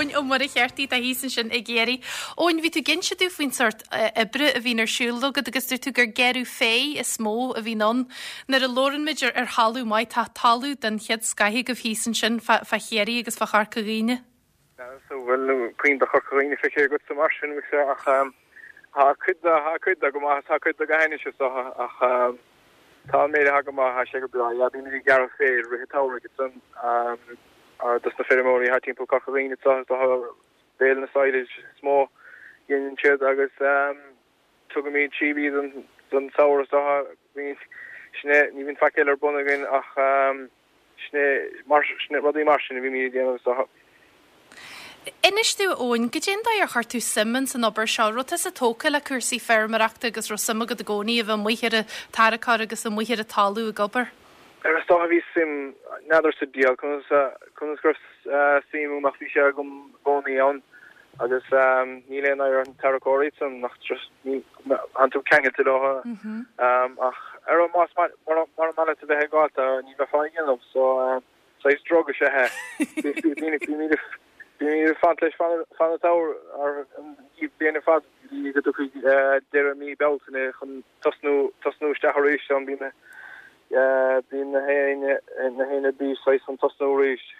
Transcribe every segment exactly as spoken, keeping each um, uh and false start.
Eoin Ó Muircheartaigh tá thíos ansin i gCiarraí. Eoin, bhí tú ag inse dúinn faoin sórt oibre a bhíonn ar siúl agat agus dúirt tú gur gearradh féir is mó a bhíonn ann. Nuair a labhrann muid ar, ar thalamh maith, tá talamh den chéad scoth agaibh thíos ansin fá, fá Chiarraí agus fá Chorca Dhuibhne. So bhfuil puinn de Chorca Dhuibhne feicthe agat sa mar sin mise ach tá cuid de tá cuid de go maith tá cuid de go hainnis is dócha ach tá an méid atá go maith tá sé go breá. Yeah, bímid ag gearradh féir i rith an tsamhraidh ansan dos na feirmeoirí thart timpeall Corca Dhuibhne is dócha béil na silage is mó dhéanann siad agus tugaimid síob iad don samhradh is dócha bíonn sin é ní bhíonn faic eile ar bun againn ach sin é mar sin é rudaí mar sin a bhímid ag déanamh is dócha. Inis dúinn Eoin, goidé an dóigh ar chuir tú suim ins an obair seo, raibh tusa tógtha le cúrsaí feirmeoireachta agus raibh suim agat i gcónaí a bheith amuigh ar an tarracóir agus amuigh ar an talamh ag obair? Ar is dócha bhí suim n'fheadar sa diabhal conas conas go raibh suim agam ach bhí sé agam i gcónaí ann agus níl aon oidhre ar an tarracóir san nach tánn tú ceangailte leo ach ar más mura maith leat a bheith ag gabháil ní bheifeá ag déanamh so saghas drug is ea é. Bímid ag fanacht leis fan an tsamhraidh an bhliain ar fad go dtí go dtiocfaidh deireadh mí Bealtaine chun tosnú tosnú isteach arís ann bíonn bíonn na héinne na héinne bís saghas chun tosnú arís.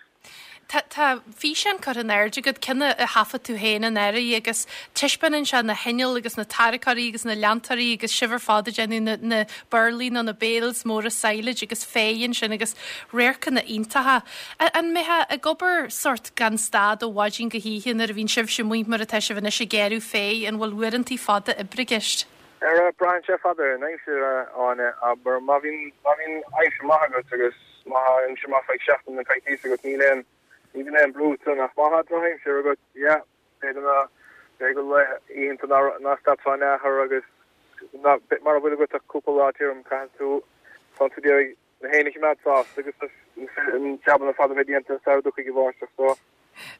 Tá tá físeán curtha in airde agat, ceann a thaifead tú féin anuraidh agus taispeánann sé na hinnill agus na tarracóirí agus na leantóirí agus sibh ar fad ag déanamh na na burlaí nó na bales móra silage agus féir ansin agus radharcanna iontacha. An mbeifeá ag obair sórt gan stad ó mhaidin go hoíche nuair a bhíonn sibhse amuigh mar atá sibh anois ag gearradh féir, an bhfuil uaireantaí fada oibre i gceist? Ar braitheann sé fad ar an aimsir Áine, abair má bhíonn má bhíonn aimsir maith agat agus má tá aimsir maith feadh seachtain nó coicíos agat níl aon ní bhíonn aon brú ansan ach má tá drochaimsir agat yeah b'fhéidir ná b'fhéidir go oícheanta ná ná stadfá in aon agus ná mara bhfuil agat ach cúpla lá tirim caithfidh tú tá tú d'iarraidh na héinne a choimeád sásta agus an jabanna fada bheith déanta sara dtiocfaidh an bháisteach so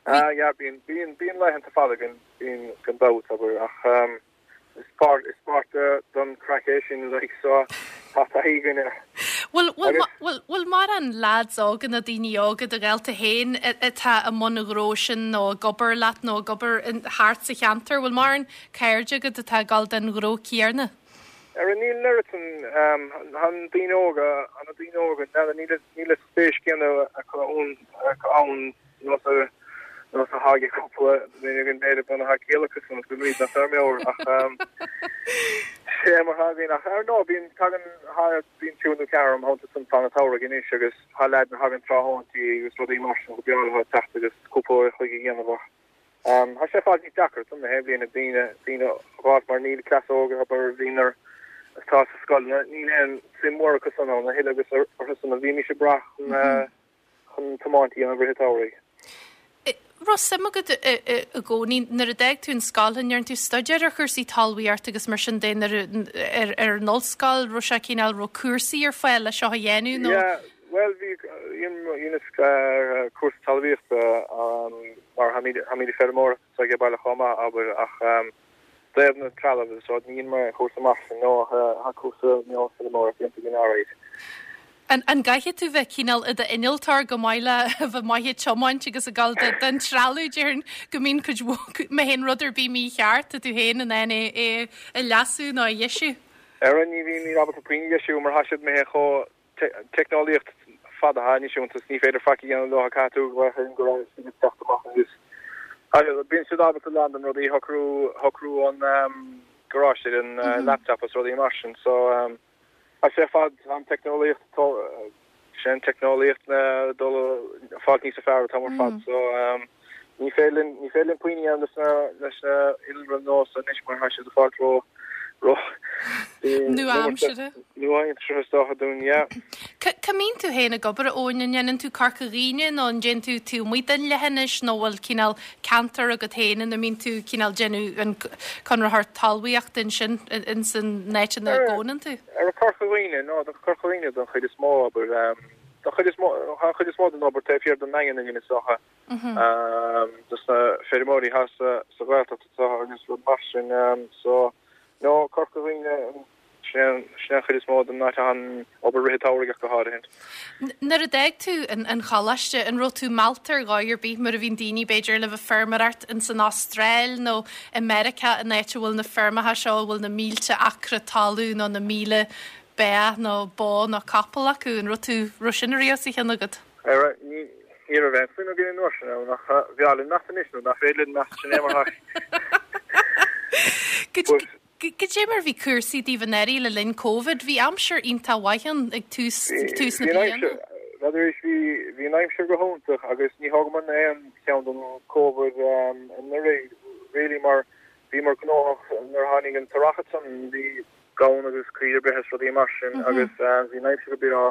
ah yeah bíonn bíonn bíonn laethanta fada gan bíonn gan dabht abair ach um, is páirt is páirt don craic é sin like so tá taithí againn air. Bhfuil bhfuil bhfuil bhfuil mórán lads óga nó daoine óga do ghaolta féin atá i mbun an ghnó sin nó ag obair leat nó ag obair thart sa cheantar, bhfuil mórán cairde agat atá ag dul don ghnó céanna? Ar an níl an oiread san an daoine óga an daoine óga níl níl spéis céanna acu ann acu ann nós a nós a tháinig cúpla duine againn b'fhéidir bunaithe ciallachas an go mí na feirmeoir ach sé mar thagann ach ar ndóigh bíonn tagann bíonn triúr nó ceathrar am thonnta san fan an tsamhraidh anois agus tá leaideanna a thagann tráthnóntaí agus rudaí mar sin go breá leo teacht agus cúpla uair a chloig a dhéanamh ach tá sé fad níos deacra don na haon bhliain ag daoine daoine a dh'fháilt mar níl cleas óga abair bhíonn ar atá sa scoil níl aon suim mhór acu san ann a thuilleadh agus orthu san a bhímis ag brath chun chun tiomáint a dhéanamh i rith an tsamhraidh. Raibh suim agat i gcónaí nuair a d'fhág tú an scoil, an ndearna tú staidéar ar chúrsaí talmhaíochta agus mar sin de nuair ar ar an ollscoil, raibh sé cineál raibh cúrsaí ar fáil le seo a dhéanamh nó? Yeah, well bhí dheineas cúrsa talmhaíochta mar tháimid tháimid ag feirmeoireacht ag baile chomh maith abair ach dtaobh na trealamh agus rud ní dhein mé cúrsa mar sin no ach tá cúrsa feirmeoireachta déanta againn alright. An an gcaithfidh tú bheith cineál i d'innealtóir go maith le bheith maith ag tiomáint agus ag dul den trealamh déarfainn go mbíonn cuid mhó má théann rud ar bith mícheart tá tú féin in ann é é a leasú nó a dheisiú. Ar ní bhíonn ní ábalta puinn a dheisiú mar tá siad imithe chomh teicneolaíocht fada atá anois iontu ní féidir faic a dhéanamh leo caithfidh tú go bhfuil go raibh siad ag teacht amach agus bíonn siad ábalta lán den rudaí shocrú shocrú an garáiste an laptop agus rudaí mar sin so tá sé fad an teicneolaíocht sé an teicneolaíocht na dul fáil níos fearr atá mar fad so ní féidir linn ní féidir linn puinn a dhéanamh leis na leis na innealra nua anois mar tá siad ag fáil ró ró Nua-aimseartha. Nua-aimseartha is dócha dúinn yeah. Cá mbíonn tú féin ag obair Eoin, an ndéanann tú Corca Dhuibhne nó an déanann tú taobh amuigh den leithinis nó bhfuil cineál ceantar agat féin ina mbíonn tú cineál déanamh an conraitheoir talmhaíochta ansin ins an áit ina gcónaíonn tú? Ar Corca Dhuibhne no do Corca Dhuibhne don chuid is mó abair don chuid is mó an chuid is mó den obair taobh thiar den nDaingean againn is dócha dos na feirmeoirí thall sa sa Ghaeltacht atá agus rud mar sin so no Corca Dhuibhne Sin é an chuid is mó den áit atá an obair rith an tsamhraidh ach go háirithe. Nuair a d'fhág tú an choláiste, an raibh tú meallta ar dhóigh ar bith mar a bhíonn daoine b'fhéidir le bheith feirmeoireacht ins an Astráil nó i Meiriceá an áit a bhfuil na feirmeacha seo a bhfuil na mílte acra talún nó na míle beach nó bó nó capall acu, an raibh tú raibh sin riamh sa cheann agat? Ní ní raibh aon smaoineamh againn an uair sin ann ach bhí linn meas anois nó nach féidir linn meas sin é mar But Cad é mar bhí cúrsaí daoibh anuraidh le linn Covid? Bhí aimsir iontach mhaith ann ag tús tús na bliana. N'fheadar bhí bhí an aimsir go hiontach agus ní thógamar aon cheann den Covid anuraidh really mar bhíomar gnóthach nuair a tháinig an t-earrach ansan bhí gamhain agus caoire breithe is rudaí mar sin agus bhí an aimsir go breá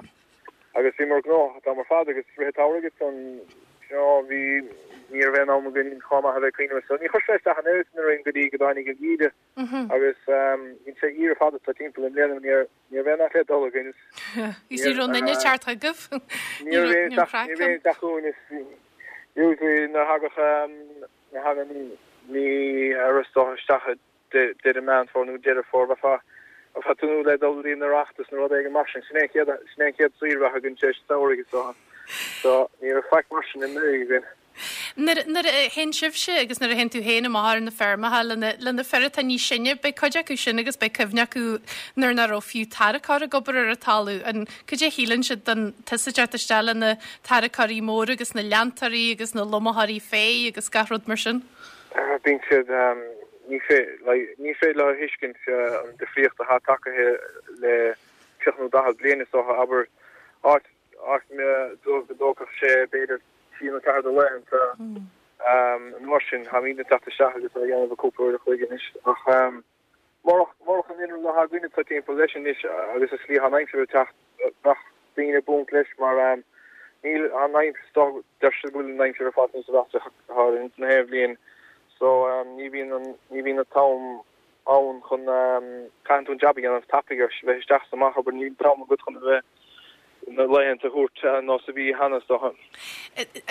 agus bhíomar gnóthach an t-am ar fad agus rith an tsamhraidh ansan you know bhí ní raibh aon am againn chomh maith a bheith cuimhneamh so ní chuir sé isteach an oiread sin orainn go dtí go dtáinig an geimhreadh agus bhí sé fíor fada tá timpeall i mbliana ní ní raibh aon le dul againn. Is ní raibh aon duine teacht chugaibh? Ní raibh aon teacht chugainn is usually nuair a thagadh nuair a thagann mí ar isteach deireadh Meán Fómhair nó Deireadh Fómhair bheifeá bheifeá ag tnúth le dul go dtí an Oireachtas nó rud éigin mar sin. Sin é an chéad sin é an chéad saoire a bheadh againn tar éis an tsamhraidh is dócha. So ní raibh faic mar sin anuraidh againn. Nuair nuair a théann sibhse agus nuair a théann tú féin amach ar na feirmeacha le na le na fir atá níos sine, beidh cuid acu sin agus beidh cuimhne acu nuair nach raibh fiú tarracóir ag obair ar an talamh. An cad é a shíleann siad den tusa ag teacht isteach le na tarracóirí móra agus na leantóirí agus na lomaitheoirí féich agus gach rud mar sin? Bíonn siad ní like ní féidir leo a thuiscint an difríocht atá tagtha le tríocha nó daichead bliain is dócha abair áit áit go dtógfadh sé b'fhéidir trí nó ceathair de laethanta an uair sin táimid ag teacht isteach agus á dhéanamh i gcúpla uair a chloig anois ach murach murach an inneall atá againn atá timpeall leis anois agus an slí atá an aimsir ag teacht bheadh daoine buan leis mar níl an aimsir deir siad go bhfuil an aimsir ar fad níos mheasa thar na haon bhliain so ní bhíonn an ní bhíonn an t-am ann chun caitheann tú an jab a dhéanamh tapaidh ar bheith isteach is amach abair níl an t-am agat chun a bheith na laethanta a thabhairt nós a bhí cheana is dócha.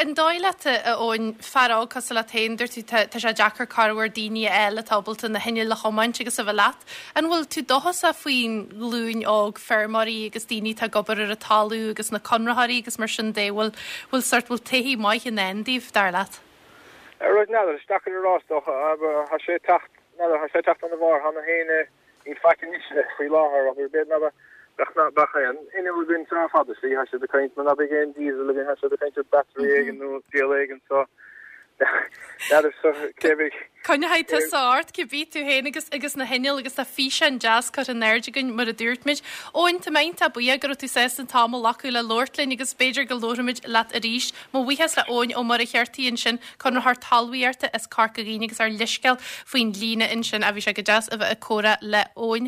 An dóigh leat, a Eoin, fear óg cosúil leat féin, dúirt tú tá sé deacair corruair daoine a fháil atá ábalta na hinnill a thiomáint agus a bheith leat. An bhfuil tú dóchasach faoin ghlúin óg feirmeoirí agus daoine atá ag obair ar an talamh agus na conraitheoirí agus mar sin de, bhfuil bhfuil sort bhfuil todhchaí maith i ndán daoibh, dar leat? Right, n'fheadar, is deacair a rá is dócha, tá sé ag teacht, n'fheadar, tá sé ag teacht ana mhór cheana féin, níl faic anois faoi láthair, abair, b'fhéidir ná beadh ná beadh aon inneall againn sara fada, slí, tá siad ag caint, ná beidh aon diesel againn, tá siad ag caint ar battery éigin nó díol éigin, so n'fheadar, so cé bheidh. Coinneoidh tusa ort cibé tú féin agus agus na hinnill agus tá físeán deas curtha in airde againn mar a dúirt muid. Eoin, tá mé iontach buíoch go raibh tú sásta an t-am a ghlacadh le labhairt linn agus b'fhéidir go labharfaimid leat arís. Mo bhuíochas le Eoin Ó Muircheartaigh ansin, conraitheoir talmhaíochta as Corca Dhuibhne agus ár leithscéal faoin líne ansin. Bhí sé go deas a bheith ag comhrá le Eoin.